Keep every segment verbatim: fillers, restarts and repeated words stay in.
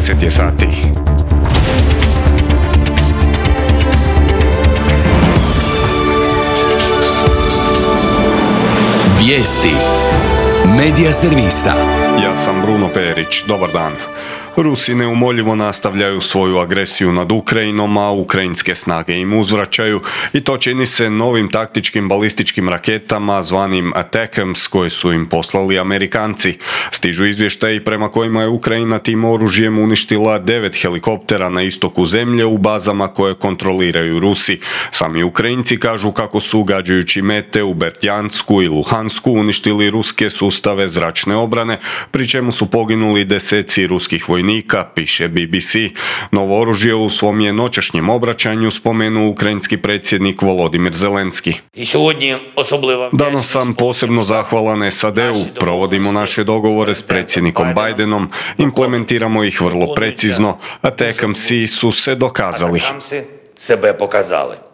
dvadeset je sati. Vijesti Medija servisa. Ja sam Bruno Perić, dobar dan. Rusi neumoljivo nastavljaju svoju agresiju nad Ukrajinom, a ukrajinske snage im uzvraćaju i to čini se novim taktičkim balističkim raketama zvanim Attackams koje su im poslali Amerikanci. Stižu izvještaji prema kojima je Ukrajina tim oružjem uništila devet helikoptera na istoku zemlje u bazama koje kontroliraju Rusi. Sami Ukrajinci kažu kako su gađajući mete u Berdjansku i Luhansku uništili ruske sustave zračne obrane, pri čemu su poginuli deseci ruskih vojnika, piše B B C. Novo oružje u svom je noćašnjem obraćanju spomenuo ukrajinski predsjednik Volodimir Zelenski. Danas sam posebno zahvalan S A D-u, provodimo naše dogovore s predsjednikom Bidenom, implementiramo ih vrlo precizno, a Attackamsi su se dokazali.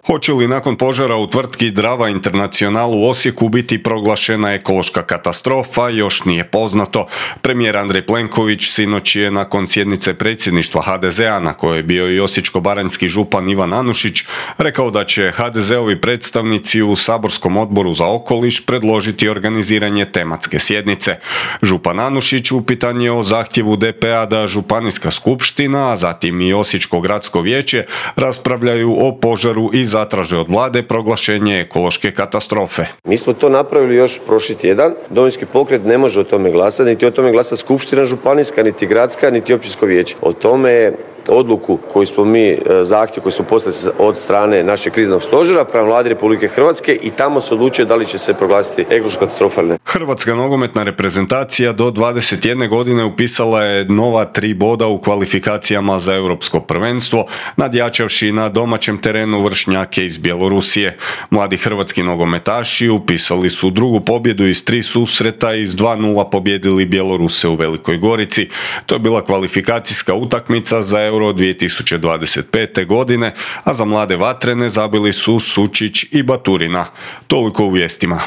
Hoće li nakon požara u tvrtki Drava International u Osijeku biti proglašena ekološka katastrofa, još nije poznato. Premijer Andrej Plenković sinoć je nakon sjednice predsjedništva H D Z A, na kojoj je bio i osječko-baranjski župan Ivan Anušić, rekao da će H D Z-ovi predstavnici u saborskom odboru za okoliš predložiti organiziranje tematske sjednice. Župan Anušić upitan je o zahtjevu D P-a da županijska skupština, a zatim i Osječko gradsko vijeće raspravljaju o požaru i zatraže od vlade proglašenje ekološke katastrofe. Mi smo to napravili još prošli tjedan. Domovinski pokret ne može o tome glasati, niti o tome glasa skupština županijska, niti gradska, niti općinsko vijeće. O tome odluku koju smo mi, zahtjev koji smo poslali od strane našeg kriznog stožera prema Vladi Republike Hrvatske i tamo se odlučuje da li će se proglasiti ekološka katastrofa ili ne. Hrvatska nogometna reprezentacija do dvadeset jedne godine upisala je nova tri boda u kvalifikacijama za europsko prvenstvo, nadjačavši na domaćem terenu vršnjake iz Bjelorusije. Mladi hrvatski nogometaši upisali su drugu pobjedu iz tri susreta i s dva nula pobjedili Bjeloruse u Velikoj Gorici. To je bila kvalifikacijska utakmica za Euro dvije tisuće dvadeset pete. godine, a za mlade vatrene zabili su Sučić i Baturina. Toliko u vijestima.